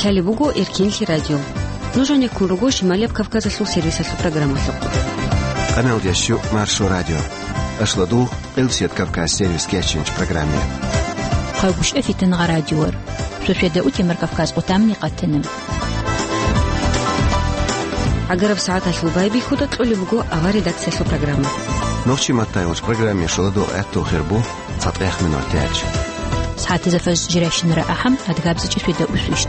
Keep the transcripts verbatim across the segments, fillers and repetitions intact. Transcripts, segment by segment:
Лъалеб буго Эркенлъи радио. Нуж гьанеккун руго Шималияб Кавказалъул сервисалъул программалъухъ. Къаналдияс щу Маршо радио. Ашлодул, Къилсият Кавказ сервис кеченч программе. Хъагушев Фитангъа радиор. Сосиада утемар Кавказ къутамни къатана. ГӀагараб сагӀаталъул байбихьуда кьолеб буго авар редакциялъул программа. Нохчи Маттайолч программе шоладул гӀаттул хирбу. ЦатӀехъ минутач. СагӀатизе фажр жирайщинара ахӀам, адгабзичӀи светда усвищ.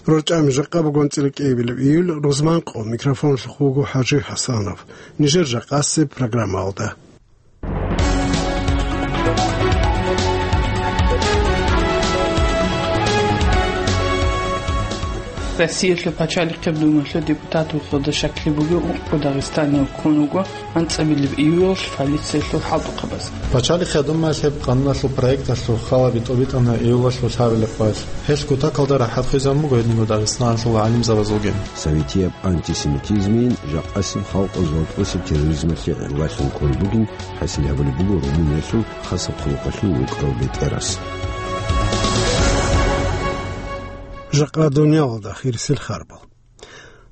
РорчӀами жакъа бугон цӀилкӀейбилеб июль рузман къо микрофонлъухъ вуго ХӀажи ХӀасанов. Нижер жакъасеб программалда. Россиялъул пачалихъеб думалъул депутат вухьулда щаклъи бугев ункъго дагъистанияв ккун вуго анцӀабилеб июлалъ полициялъул хӀалтӀухъабаз. Пачалихъеб думаялъеб къануналъул проекталъул халаби тӀобитӀана июлалъул лъабилеб къоялъ. Гьелъ кутакалда рахӀат хвезабун буго гьединго Дагъистаналъул гӀалимзабазулгин. Советияб антисемитизмин жакъасеб халкъалъул вокьулъе терроризмалъе гӀиллалъун кколеб бугин, хӀасил гьабулеб буго Румыниялъул хасаб хъулухъалъул вукӀарав бетӀерас. Жакъа дуниялалда хирисел харбал.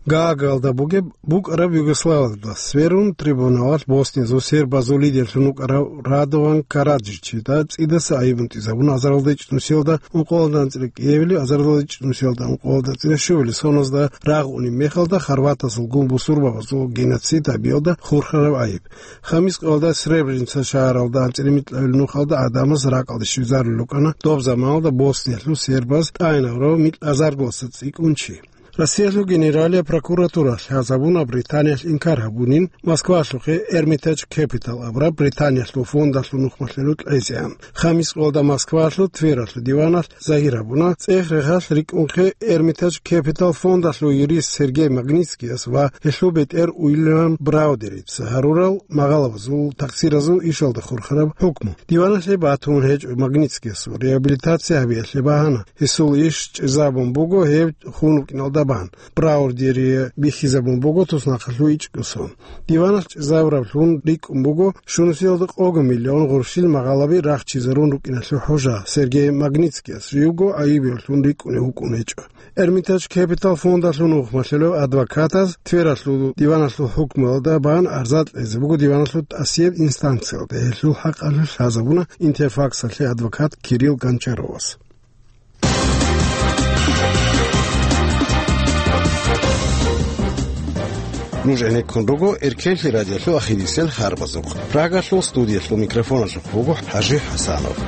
Гаагаялда бугеб букӀараб Югославиялда сверун, трибуналалъ Боснияялъул сербазул лидерлъун вукӀарав Радован Караджичида цӀидаса айиб унтӀизабуна азаралда ичӀнусиялда ункъоялда анцӀила кӀиабилеб, азаралда ичӀнусиялда ункъоялда анцӀила щуабилеб соназда рагъунеб мехалда хорватазул гун бусурбабазул геноцид гьабиялда хурхараб айиб. Хамис къоялда Сребреница шагьаралда анцӀила микьабилеб нухалда гӀадамаз ракӀалде щвезарулел рукӀана доб заманалда Босниялъул сербаз тӀагӀинаврав микьазаргоса цӀикӀкӀун чи. Россиялъул Генералияб прокуратуралъ лъазабуна Британиялъ инкар гьабунин Москвалъухъе Эрмитаж Кепитал абураб Британиялъул фондалъул нухмалъулъ кьезегӀан. Хамис къоялда Москвалъул Твералъул диваналъ загьир гьабуна цӀех-рехалъ рикӀкӀунхъе Эрмитаж Кепитал фондалъул юрист Сергей Магнитскияс ва гьелъул бетӀер Уильям Браудерица гьарурал магъалабазул такъсиразул ишалда хурхараб хӀукму. Диваналъе батун гьечӀо Магнитскиясул реабилитация гьабиялъе багьана. Гьесул иш чӀезабун буго гьев хун вукӀиналда бан. Браудери бихьизабун буго туснахъалъув ичӀго сон. Диваналъ чӀезабураблъун рикӀкӀун буго щунусиялда къого миллион гъурщил магъалаби рахчизарун рукӀиналъул хӀужа Сергей Магнитскияс живго айибевлъун рикӀкӀунев вукӀун гьечӀо. Эрмитаж Кепитал фондалъул нухмалъулев адвокатаз Твералъул диваналъул хӀукмуялда бан арза кьезе буго диваналъул тӀасияб инстанциялда. Гьелъул хӀакъалъулъ лъазабуна Интерфаксалъе адвокат Кирилл Гончаровас. Нуж гӀенеккун руго Эркенлъи радиолъул ахирисел харбазухъ. Прагалъул студиялъул микрофоналъухъ вуго ХӀажи ХӀасанов.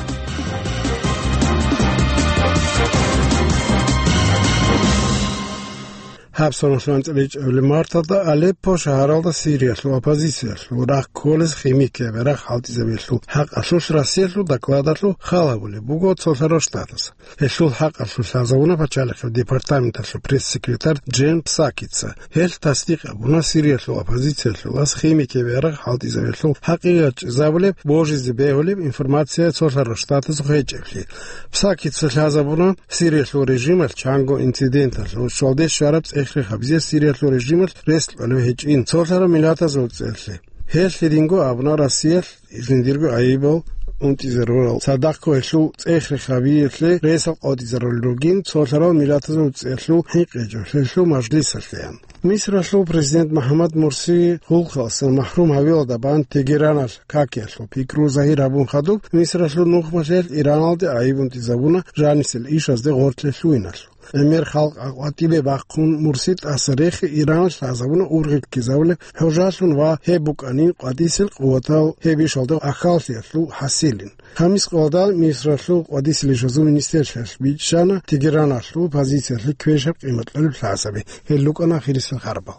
Гьаб соналъул анцӀила ичӀабилеб марталда Алеппо шагьаралда Сириялъул оппозициялъул рагъ кколез химикияб ярагъ хӀалтӀизабиялъул хӀакъалъулъ Россиялъул докладалъул хал гьабулеб буго Цолъарал Штатас. Гьелъул хӀакъалъулъ лъазабуна пачалихъеб департаменталъул пресс-секретарь Джен Псакица. Гьелъ тасдикъ гьабуна Сириялъул оппозициялъулас химикияб ярагъ хӀалтӀизабиялъул хӀакъикъат чӀезабулеб, божизе бегьулеб информация Цолъарал Штатазухъ гьечӀеблъи. Псакица лъазабуна Сириялъул режималъ чанго инциденталъ ва щвалде щвараб цӀех-рех гьабизе Сириялъул режималъ рес кьолеб гьечӀин Цолъарал Миллатазул ЦӀеялъе. Гьелъ гьединго абуна Россиялъ жиндирго гӀайибал унтӀизарурал, цадахъго гьелъул цӀех-рех гьабиялъе ресал къотӀизарулел ругин Цолъарал Миллатазул ЦӀеялъул хӀинкъичӀеб гьелъул мажлисалъеян. Мисралъул президент МухӀаммад Мурси хъулухъалъан махӀрум гьавиялда бан Тегераналъ какиялъул пикру загьир гьабун хадуб, Мисралъул нухмалъиялъ Ираналде гӀайиб унтӀизабуна жанисел ишазде гъорлъе лъугьиналъул. ГӀемер халкъ гьакъватӀибе бахъун Мурси тӀаса рехи Иран лъазабуна ургъи ккезабулеб хӀужалъун ва гьеб букӀанин къватӀисел къуватал гьеб ишалда ахьаллъиялъул хӀасилин. Хамис къоялда Мисралъул къватӀисел ишазул министрлъиялъ бичӀчӀана Тегераналъул позициялъе квешаб къимат кьолеб лъазаби. Гьел рукӀана ахирисел харбал.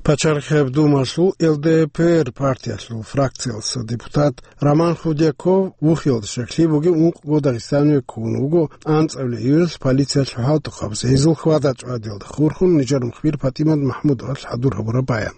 Пачалихъеб Думалъул Л Д П Р партиялъул фракциялъа депутат Роман Худяков вухиялда щаклъи бугев ункъго дагъистанияве ккун вуго анцӀабилеб июлалъ полициялъул хӀалтӀухъабаз гьезул хьвада-чӀвадиялда хурхун нижер мухбир ПатӀимат МахӀмудовалъ хӀадур гьабураб баян.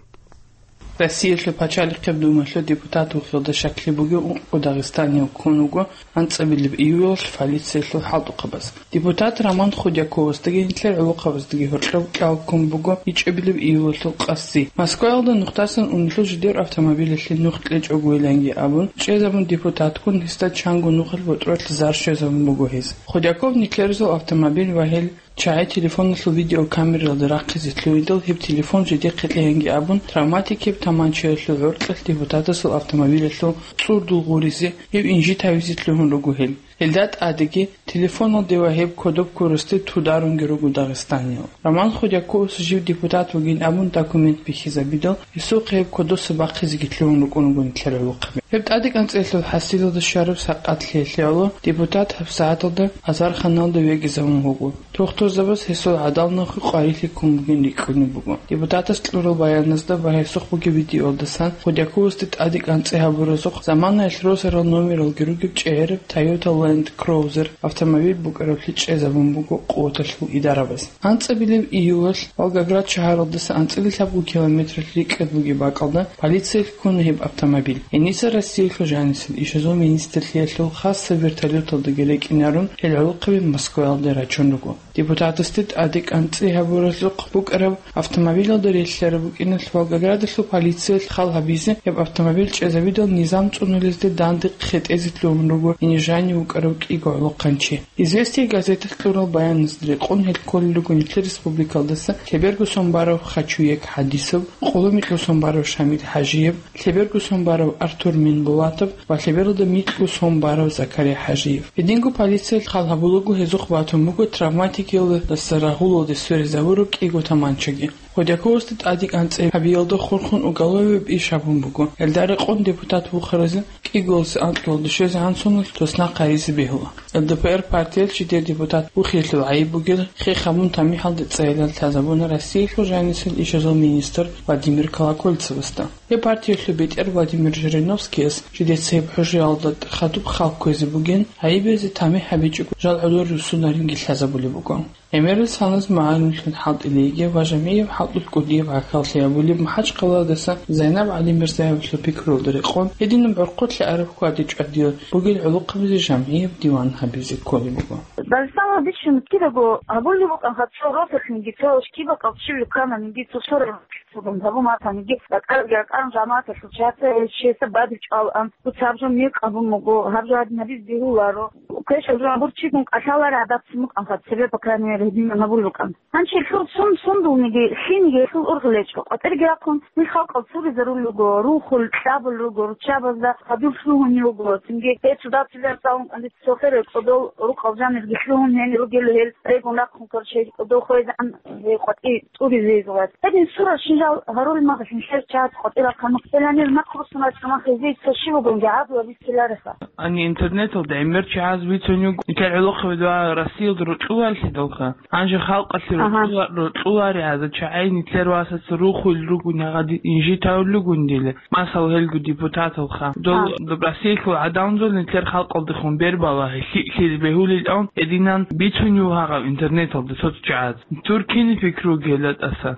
Россиялъул пачалихъеб думалъул депутат вухьулда щаклъи бугев ункъго дагъистанияв ккун вуго анцӀабилеб июлалъ полициялъул хӀалтӀухъабаз. Депутат Роман Худяковасдаги нилъер гӀолохъабаздаги гьоркьов кӀал ккун буго ичӀабилеб июлалъул къаси. Москваялда нухдасан унелъул жидер автомобилалъе нух кьечӀого виланги абун, чӀезабун депутатгун гьесда чанго нухалъ ботӀролъ зар щвезабун буго гьез. Худяков нилъерзул автомобиль ва гьел чагӀи телефоналъул видеокамералда рахъизе лъугьидал, гьеб телефон жидехъе кьеянги абун, травматикияб таманчаялъул гӀоркьалъ депутатасул автомобилалъул цӀурдул гъуризе, гьев инжит гьавизе лъугьун руго гьел. Гьелда тӀадеги телефоналде ва гьеб кодоб ккурасде тударунги руго дагъистаниял. Роман Худяковас жив депутат вугин абун документ бихьизабидал, гьесухъе гьеб кодоса бахъизеги лъугьун рукӀун руго нилъер гӀолохъаби. Гьеб тӀадекӀанцӀеялъул хӀасилалда щвараб сакъат лъелъиялъул депутат гьабсагӀаталда азарханалда вегизавун вуго. Тухтурзабаз гьесул гӀадал нахъе къварилъи ккун бугин рикӀкӀунеб буго. Депутатас кьурал баяназда ва гьесухъ бугеб видеоялдасан Худяковасде тӀадекӀанцӀи гьабуразухъ заманаялъ росарал номералги ругеб чӀегӀераб Toyota Land Cruiser автомобиль букӀараблъи чӀезабун буго къуваталъул идарабаз. АнцӀабилеб июлалъ Волгоград шагьаралдаса анцӀила лъабго километралъ рикӀкӀад бугеб бакӀалда полициялъ ккуна гьеб автомобиль. Гьениса Россиялъул жанисел ишазул министрлъиялъул хасаб вертолёталдаги рекӀинарун, гьел гӀолохъаби Москваялде рачун руго. Депутатасде тӀадекӀанцӀи гьабуразухъ букӀараб автомобилалда релълъараб букӀиналъ Волгоградалъул полициялъ хал гьабизе, гьеб автомобиль чӀезабидал низам цӀунулезде данде хъетӀезе лъугьун руго гьенир жанив вукӀарав кӀиго гӀолохъанчи. «Известия» газеталъ кьурал баяназда рекъон, гьел кколел руго нилъер республикалдаса лъеберго сон барав Хачуек ХӀадисов, къоло микьго сон барав Шамил ХӀажиев, лъеберго сон барав Артур Минбулатов ва лъебералда микьго сон барав Закария ХӀажиев. Гьединго полициялъ хал гьабулаго гьезухъ батун буго травматикиялдаса рагъулалде сверизабураб кӀиго таманчаги. Худяковасде тӀадекӀанцӀи гьабиялда хурхун уголовияб иш гьабун буго. Гьелда рекъон депутат вухаразе кӀиголасе анкьиялда щвезегӀан соналъ туснахъ гьаризе бегьула. ЛДПР партиялъ жидер депутат вухиялъул гӀайиб бугел хех гьабун тамихӀалде цӀайилан лъазабуна Россиялъул жанисел ишазул министр Владимир Колокольцевасда. Гьеб партиялъул бетӀер Владимир Жириновскияс жидеца гьеб хӀужаялда хадуб хал кквезе бугин, гӀайибазе тамихӀ гьабичӀого жал гӀодор руссунаринги лъазабулеб буго. ГӀемерал саназ магӀаруллъун хӀалтӀилейги ва жамгӀияб хӀалтӀулъ кӀудияб гӀахьаллъи гьабулеб МахӀачхъаладаса Зайнаб ГӀалимирзаевалъул пикруялда рекъон, гьединаб гӀурхъулъи араб хьвадичӀвадиялъ бугел гӀолохъабазе жамгӀияб диван гьабизе кколеб буго. Дагъистаналда бищун кидаго гьабулеб букӀан, цо росулъниги, цо щибаб щиб ккананиги, цо сораб гьабун батаниги, ракӀалги ракӀарун жамагӀаталъул чияца гьечиясда бадиб чӀвалаан, дуца гьаб жо мекъ гьабун буго, гьаб жо гьадин гьабизе бегьуларо. Квешаб жо гьабурчигун кӀалъалари гӀадат цин букӀанха, цебе, по крайней мере, гьединан гьабулеб букӀан. Гьанже лъур сун сундулниги, лъиниги гьелъул ургъел гьечӀо, къватӀирги рахъун, нилъ халкъал цуризарулел руго, рухул, кьабулел руго, руччабазда хадур лъугьунел руго, цинги гьел цо дацилан цӀалун кӀанди цо херал кӀодол рукъал жанирги лъугьун гьенир ругел гьел регун рахъун, короче, кӀодол хвезегӀан гьей къватӀи тӀуризе гьезулас. Гьедин сурал шинжал гьарулел магъилъин хӀер чагӀаз къватӀира хъанухъ гьеланир нахъ руссунал чӀумахъ гьезие цо щиб бугонги гӀадлу абицелареха. Ани интернеталда гӀемер чагӀаз бицунев нилъер гӀолохъабазда Россиялда рокьуларелъидалха. Гьанже халкъалъе Ага. рокьула-, рокьулари гьаза чагӀи нилъер васаца рухулел ругони гьагъади инжитавулел ругондила. Масала, гьелго депутаталха. Дол А. доб Россиялъул гӀадамазул нилъер халкъалдехун бербала лъи-, лъизе бегьулел ан гьединан бицунев гьагъав интернеталда цо-цо чагӀаз. Тур кин пикруги гьела тӀаса.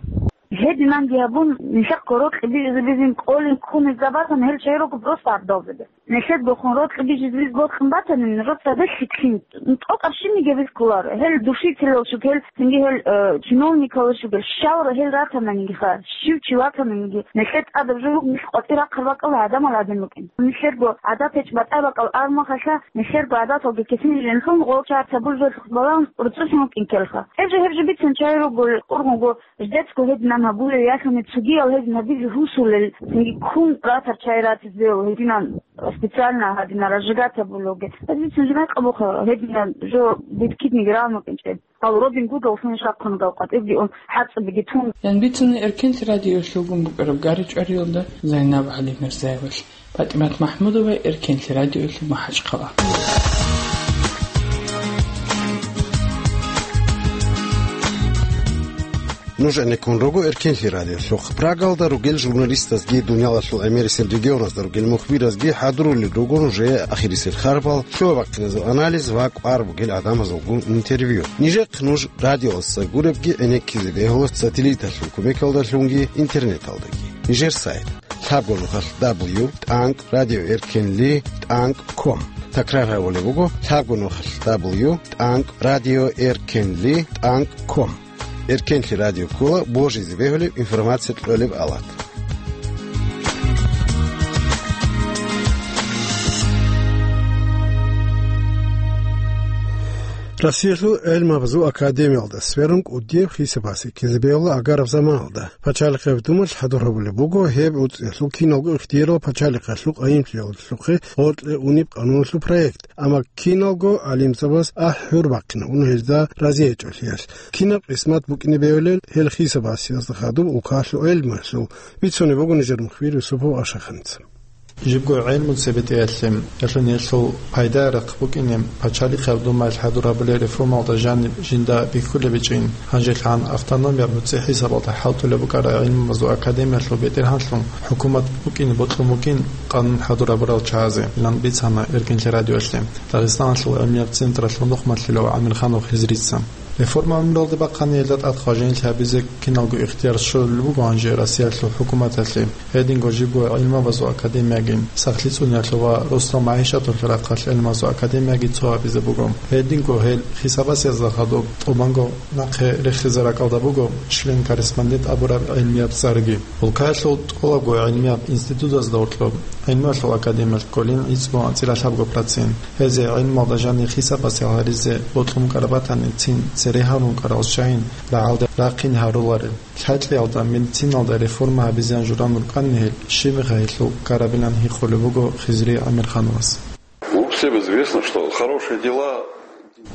Гьединанги гьабун, нилъехъго рокьи бижизе бизин кӀолин ккунезда батани, гьел чагӀи руго просто гӀадалзаби. Нилъедгохун рокьи бижизе биз бокьун батани, росабе лъикӀлъин, тӀокӀаб щибниги бихьуларо. Гьел душителал щугел, цинги гьел, э, чиновникал щугел, щалра гьел ратананиги ха, щив чи ватананиги, нилъер тӀадаб жо буго, нилъ къватӀир рахъараб бакӀалда гӀадамал гӀадин рукӀин. Нилъерго гӀадат гьечӀеб батӀа бакӀал армахалъа, нилъерго гӀадаталги кесин жинлъун гъол чагӀаца булжалъухъ балан рцӀцӀун вукӀин ккелха. Гьеб жо, гьеб жо бицун чагӀи руго, ургъунго, Ждецго гьединан гьабулев, яхъани цогиял гьедин гьабизе хӀусулел, цинги ккун ратар чагӀи ратизе гьединан специально гьадинал разжигать гьабулевги. Гьединцин жинай къабуха гьединан жо бикидниги равнукӀинчӀеб. Гьал Робин Гудаллъун шахъун гал къватӀибги ун, хӀацӀабиги тун. Ян бицуна Эркенлъи радиоялъулгун букӀараб гаричӀвариялда Зайнаб ГӀалимирзаевалъ. ПатӀимат МахӀмудова, Эркенлъи радиоялъул МахӀачхъала. Нуж гӀенеккун руго Эркенлъи радиолъухъ. Прагалда ругел журналистазги, дуниялалъул гӀемерисел регионазда ругел мухбиразги хӀадурулел руго нужее ахирисел харбал, лъугьа-бахъиназул анализ ва кӀвар бугел гӀадамазулгун интервью. Нижехъ нуж радиоялдаса гуребги гӀенеккизе бегьула сателлиталъул кумекалдалъунги интернеталдаги. Нижер сайт. лъабго нухалъ дабл ю тӀанкӀ радиоэркенлъи тӀанкӀ ком. Такрар гьабулеб буго: лъабго нухалъ дабл ю тӀанкӀ радиоэркенлъи тӀанкӀ ком. Эркенлъи радио ккола божизе бегьулеб информация кьолеб алат. Россиялъул гӀелмабазул академиялда сверун кӀудияб хисабасе ккезе бегьула агараб заманалда. Пачалихъеб думалъ хӀадур гьабулеб буго гьеб гӀуцӀиялъул киналго ихтиярал пачалихъалъул къайимлъиялъухъе гъоркье унеб къануналъул проект. Амма киналго гӀалимзабаз ахӀи-гьур бахъина, ун гьезда рази гьечӀолъиялъ. Кинаб къисмат букӀине бегьулел гьел хисабасиязда хадуб улкалъул гӀелмуялъул, бицунеб буго нижер мухбир Юсупов Ашаханица. Жибго гӀелму цебетӀеялъе, ялъун гьелъул пайда-рахъ букӀине, пачалихъеб думаялъ хӀадур гьабулел реформалда жаниб жинда бихьулеб бичӀин, гьанжелъан автономияб нуцӀи хӀисабалда хӀалтӀулеб букӀараб гӀилмумазул академиялъул бетӀергьанлъун хӀукумат букӀине бокьун бугин къанун хӀадур гьабурал чагӀазе, илан бицана Эркенлъи радиоялъе Дагъистаналъул гӀилмияб централъул нухмалъилав ГӀамирханов Хизрица. Реформа гӀумралде бахъани гьелда тӀад хважинилъи гьабизе киналго ихтияр щолеб буго гьанже Россиялъул хӀукуматалъе. Гьединго жибго гӀилмабазул академиягин, сахлъи цӀуниялъул ва росдал магӀишаталъул рахъалъ гӀилмазул академияги цо гьабизе буго. Гьединго гьел хисабасиязда хадуб тӀубанго нахъе рехизе ракӀалда буго член-корреспондент абураб гӀилмияб цӀарги. Улкаялъул тӀолабго гӀилмияб институтазда гьоркьоб гӀилмуялъул академиялъ кколин гӀицӀго анцӀила лъабго процент. Гьезе гӀилмалда жанир хисабасел гьаризе бокьун букӀараб батани, цин цере гьарун букӀарал чагӀин рагӀалде рахъин гьаруларел. Лъакьиялда, медициналда реформа гьабизеян журан рукӀанни гьел, щиб мехалъ гьелъул ккарабилан гьикъулеб буго Хизри ГӀамирхановас. Ну, всем известно, что хорошие дела.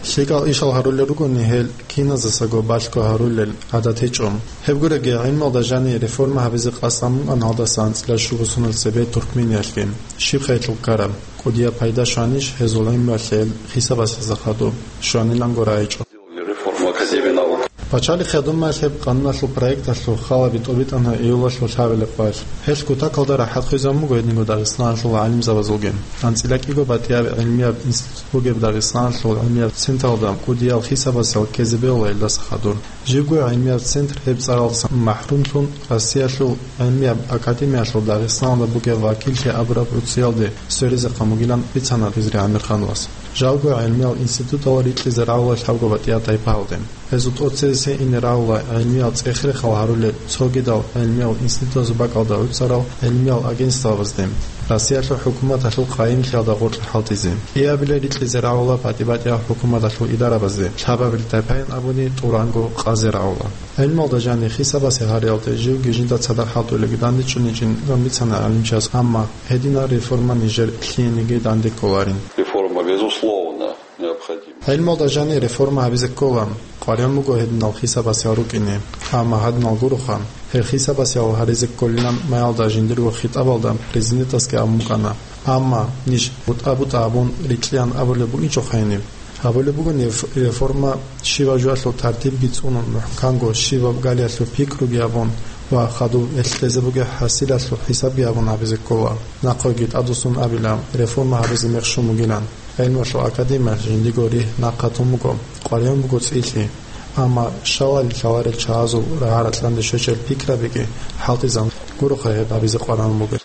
ЛъикӀал ишал гьарулел ругони гьел киназесаго балъго гьарулел гӀадат гьечӀо. Гьеб гуреги, гӀилмалда жанир реформа гьабизе къасд гьабун букӀана гьалдаса анцӀила щуго соналъ цебе Туркмениялъги. Щиб мехалъ гьелъул ккараб? КӀудияб пайда щванищ гьезул гӀилмуялъе гьел хисабасезда хадуб? Щванилан гурай гьечӀо. Реформа Академии наук. Пачалихъ Думаялъ гьеб къануналъул проекталъул халаби тӀобитӀана июлалъул лъабилеб къоялъ. Гьелъ кутакалда рахӀат хвезабун буго гьединго Дагъистаналъул гӀалимзабазулги. АнцӀила кӀиго батӀияб гӀилмияб институт бугеб Дагъистаналъул гӀилмияб централда кӀудиял хисабасел ккезе бегьула гьелдаса хадур. Жибго гӀилмияб центр гьеб цӀаралдасан махӀрумлъун Россиялъул гӀилмияб академиялъул Дагъистаналда бугеб вакиллъи абураб гӀуцӀиялде сверизехъан бугилан бицана Хизри ГӀамирхановас. Жалго гӀилмиял институтал рикьизе рагӀула лъабго батӀияб тайпаялде. Гьезул тӀоцезе ине рагӀула гӀилмиял цӀех-рехал гьарулел цогидал гӀилмиял институтазул бакӀалда гӀуцӀарал гӀилмиял агентствабазде, Россиялъул хӀукуматалъул къайимлъиялда гъоркье хӀалтӀизе. КӀиабилеб рикьизе рагӀула батӀи-батӀиял хӀукуматалъул идарабазде, лъабабилеб тайпаян абуни тӀуранго къазе рагӀула. ГӀилмалда жанир хисабасе гьариялде живги жинда цадахъ хӀалтӀулелги дандечӀуничӀин бицана гӀалимчияс, амма гьединал реформа нижер лъиениги данде кколарин. Реформа, безусловно, необходима. ГӀилмалда жанир реформа гьабизе ккола, къваригӀун буго гьединал хисабасел рукӀине, амма гьадинал гуроха, гьел хисабасел гьаризе кколилан маялда жиндирго хитӀабалда президентасги абун букӀана, амма ниж бутӀа-бутӀа абун рикьиян абулеб букӀинчӀо гьениб. Гьабулеб буго неф-, реформа щибаб жоялъул тартибги цӀунун, мухӀканго щибаб галиялъул пикруги гьабун ва хадуб гьелъ кьезе бугеб хӀасилалъул хӀисабги гьабун гьабизе ккола. Нахъеги тӀадвуссун абила, реформа гьабизе мех щун бугилан. ГӀилмуялъул академиялъ жиндиго ригь нахъа тун буго, къваригӀун буго цӀилъи. Амма щалалил лъаларел чагӀазул рагӀа-ракьанде щвечӀел пикрабиги хӀалтӀизабун гуроха гьеб гьабизе къваригӀун бугеб.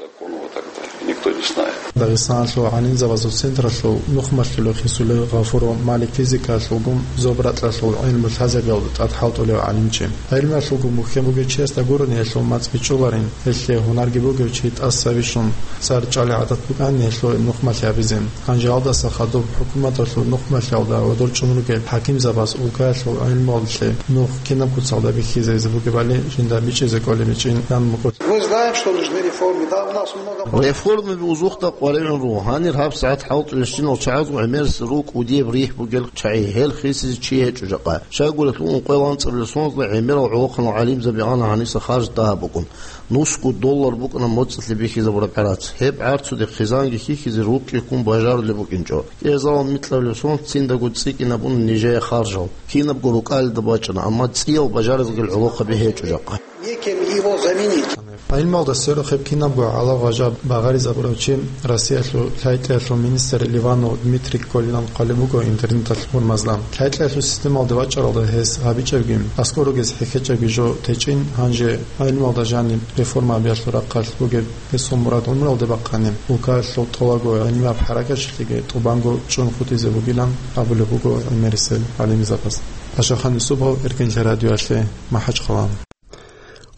Никто не знает. Дагъистаналъул гӀалимзабазул централъул нухмалъулев Хисулев Гъафуров Малик физикалъулгун зоб-ракьалъул гӀилму лъазабиялда тӀад хӀалтӀулев гӀалимчи. ГӀилмуялъулгун бухьен бугев чиясда гурони гьелъул мацӀ бичӀчӀуларин, гьелъие гьунарги бугев чи тӀаса бищун цӀар чӀвали гӀадат букӀанин гьелъул нухмалъи гьабизе. Гьанже гьалдаса хадуб хӀукуматалъул нухмалъиялда гӀодор чӀун ругел хӀакимзабаз улкаялъул гӀилмуялде нух кинаб куцалда бихьизаризе бугебали жинда бичӀчӀизе кӀолеб гьечӀин ян мукӀур. Мы знаем, что нужны реформы. Да, у нас много... Реформаби узухъда къваригӀун руго. Гьанир гьабсагӀат хӀалтӀулелщинал чагӀазул гӀемерисел руго кӀудияб ригь бугел чагӀи, гьел хисизе чи гьечӀо жакъа. Щайгурелъул ункъоялда анцӀабилеб соналда гӀемерал гӀолохъанал гӀалимзаби ана гьаниса харж дагьаб букӀун. Нусго доллар букӀана моцӀалъе бихьизабураб гӀарац. Гьеб гӀарцуде хъизанги хьихьизе рукъи ккун бажарулеб букӀинчӀо. КӀиазалан микьабилеб соналъ циндаго цӀикӀкӀинабуна нижее харжал. Кинабго рукӀалида бачӀана, амма цӀиял бажаризе гьел гӀолохъаби гьечӀо жакъа. Некем его заменить. ГӀилмалда сверухъеб кинабго гьалав гъажаб багъаризабурав чи, Россиялъул лъай-кьеялъул министр Ливанов Дмитрий Колилан хъвалеб буго интернеталъ гьурмазда. Лъай-кьеялъул системалде вачӀаралда гьес гьабичӀебги, аскӀор ругез хӀехьечӀебги жо течӀин, гьанже гӀилмалда жаниб реформа гьабиялъул рахъалъ бугеб гьесул мурад гӀумруялде бахъани, улкаялъул тӀолабго гӀилмияб хӀаракаталъеги тӀубанго чӀун хутӀизе бугилан абулеб буго гӀемерисел гӀалимзабаз. Ашахан Юсупов, Эркенлъи радиоялъе, МахӀачхъала.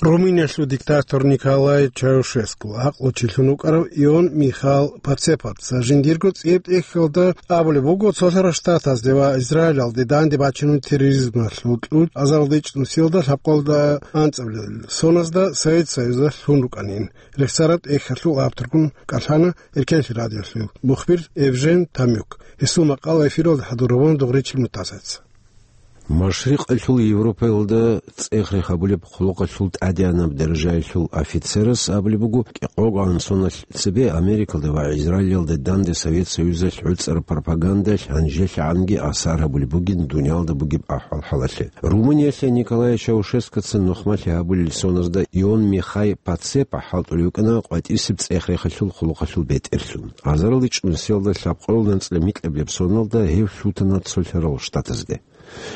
Румыниялъул диктатор Николай Чаушескул гӀакълучилъун вукӀарав Ион Михаил Пацепаца жиндирго цӀияб тӀехьалда абулеб буго, Цолъарал Штатазде ва Израилалде данде бачинун терроризмалъул кьучӀ азаралда ичӀнусиялда лъабкъоялда анцӀабилеб соназда Совет Союзалъ лъун рукӀанин. Рехсараб тӀехьалъул авторгун кӀалъана Эркенлъи радиолъул мухбир Эвжен Тамюк. Гьесул макъала эфиралда хӀадур гьабуна Дугъричил Мутазаца. Машрикъалъул Европаялда цӀех-рех гьабулеб хъулухъалъул тӀадегӀанаб даражаялъул офицерас абулеб буго, кӀикъого соналъ цебе Америкалда ва Израилалда данде Совет Союзалъ гӀуцӀараб пропагандалъ гьанжелъагӀанги асар гьабулеб бугин дуниялда бугеб ахӀвал-хӀалалъе. Румыниялъе Николай Чаушескоца нухмалъи гьабулел соназда Ион Михай Пацепа хӀалтӀулев вукӀана къватӀибсеб цӀех-рехалъул хъулухъалъул бетӀерлъун. Азаралда ичӀнусиялда лъабкъоялда анцӀила микьабилеб соналда гьев лъутана Цолъарал Штатазде.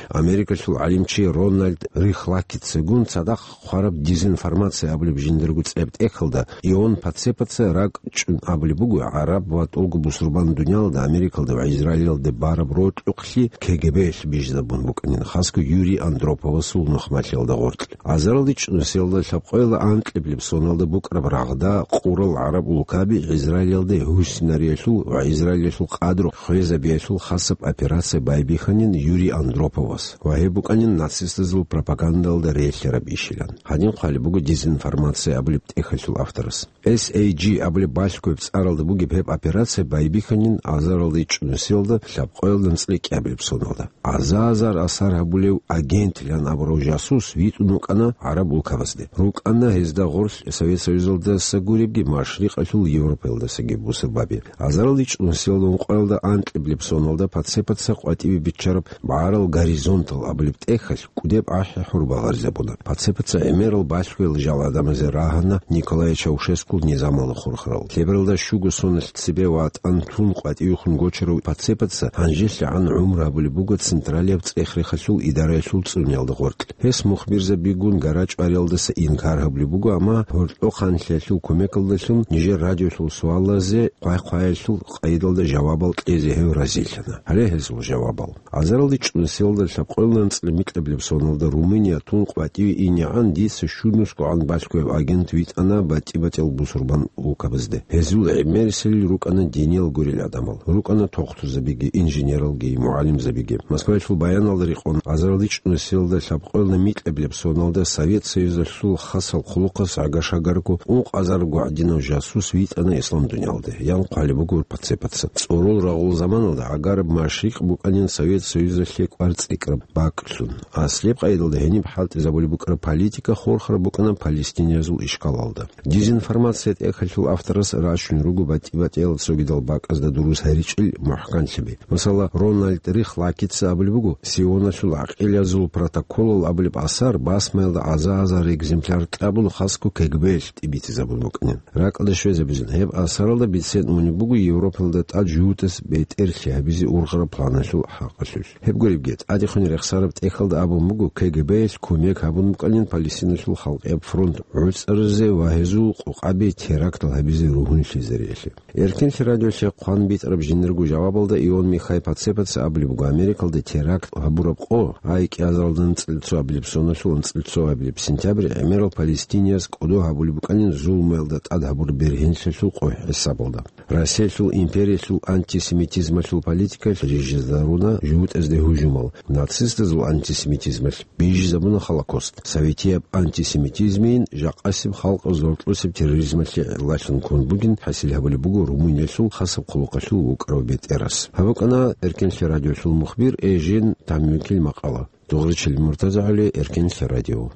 Америкалъул гӀалимчи Рональд Рихлакицагун цадахъ хъвараб дезинформация абулеб жиндирго цӀияб тӀехьалда Ион Пацепаца ракӀчӀун абулеб буго, гӀараб ва тӀолго бусурбан дуниялалда, Америкалда ва Израилалде бараб рокьукълъи КГБ-ялъ бижизабун букӀанин, хасго Юрий Андроповасул нухмалъиялда гъоркь. Азаралда ичӀнусиялда лъабкъоялда анкьабилеб соналда букӀараб рагъда къурал гӀараб улкаби Израилалде Гьусинариялъул ва Израилалъул къадру хвезабиялъул хасаб операция байбихьанин Юрий Андроповас ва гьеб букӀанин нацистазул пропагандалда релълъараб ишилан. Гьадин хъвалеб буго дезинформация абулеб тӀехьалъул авторас. С А G абулеб балъгояб цӀаралда бугеб гьеб операция байбихьанин азаралда ичӀнусиялда лъабкъоялда анцӀила кӀиабилеб соналда. Аза-азар асар гьабулев агентилан абурав жасус витӀун вукӀана гӀараб улкабазде. РукӀана гьезда гъорлъ Совет Союзалдаса гуребги, Машрикъалъул Европаялдасаги бусурбаби. Азаралда ичӀнусиялда ункъоялда анкьабилеб соналда Пацепаца къватӀибе биччараб БагӀарал горизонтал абулеб тӀехьалъ кӀудеб ахӀи-хӀур багъаризабуна. Пацепаца гӀемерал балъгоял жал гӀадамазе рагьана Николай Чаушескул низамалда хурхарал. Лъебералда щуго соналъ цебе ватӀан тун къватӀивехун гочарав Пацепаца гьанжелъагӀан гӀумру гьабулеб буго Централияб цӀех-рехалъул идараялъул цӀуниялда гъоркь. Гьес мухбирзабигун гарачӀвариялдаса инкар гьабулеб буго, амма гьоркьохъанлъиялъул кумекалдалъун нижер радиолъул суалазе хъвай-хъваялъул къайдалда жавабал кьезе гьев разилъана. Гьале гьезул жавабал. Азаралда ичӀнусиялда лъабкъоялда анцӀила микьабилеб соналда Румыния тун къватӀиве инегӀан дица щунусгогӀан балъгояб агент витӀана батӀи-батӀиял бусурбан улкабазде. Гьезул гӀемерисел рукӀана диниял гурел гӀадамал. РукӀана тохтурзабиги, инженералги, мугӀалимзабиги. Москваялъул баяналда рекъон, азаралда ичӀнусиялда лъабкъоялда микьабилеб соналда Совет Союзалъул хасал хъулухъас гӀага-шагарго ункъазарго гӀадинав жасус витӀана ислам дуниялде, ян хъвалеб буго Пацепаца. ЦӀорол рагъул заманалда гӀагараб Машрикъ букӀанин Совет Союзалъе кӀвар цӀикӀкӀараб бакӀлъун. Аслияб къайдалда гьениб хӀалтӀизабулеб букӀараб политика хурхараб букӀана палестиназул ишкалалда. Дезинформация тӀехьалъул авторас рачун руго батӀи-батӀиял цогидал бакӀазда дурус гьаричӀел мухӀканлъиби. Масала, Рональд Рихлакица абулеб буго, Сионалъул гӀакъилазул протоколал абулеб асар басмаялда аза-азар экземпляр кьабун, хасго КГБ-ялъ тӀибитӀизабун букӀанин. РакӀалде щвезабизин, гьеб асаралда бицен унеб буго Европалда тӀад жугьутӀас бетӀерлъи гьабизе ургъараб планалъул хӀакъалъулъ. Гьеб гуребги, тӀадехун рехсараб тӀехьалда абун буго, КГБ-ялъ кумек гьабун букӀанин Палестиналъул халкъияб фронт гӀуцӀаризе ва гьезул къокъаби терактал гьабизе ругьунлъизариялъе. Эркенлъи радиолъе хъван битӀараб жиндирго жавабалда Ион Михай Пацепаца абулеб буго, Америкалда теракт гьабураб къо, ай кӀиазаралда анцӀила цо абилеб соналъул анцӀила цо абилеб сентябрь, гӀемерал палестинияз кӀодо гьабулеб букӀанин зулмуялда тӀад гьабураб бергьенлъиялъул къо хӀисабалда. Россиялъул империялъул антисемитизмалъул политикалъ рижизаруна жугьутӀазде гьужумал, нацистазул антисемитизмалъ бижизабуна Холокост. Советияб антисемитизмийин жакъасеб халкъ зортлъусеб терроризмалъе гӀиллалъун ккун бугин хӀасил гьабулеб буго Румыниялъул хасаб хъулухъалъул вукӀарав бетӀерас. Гьаб букӀана Эркенлъи радиолъул мухбир Эжен Тамюкил макъала. Дугъричил МуртазагӀали, Эркенлъи радио.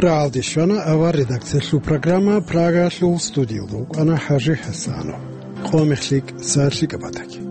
РагӀалде щвана авар редакциялъул программа, Прагалъул студиялда вукӀана ХӀажи ХӀасанов. Къо мехлъи, сахлъи кӀабатаги.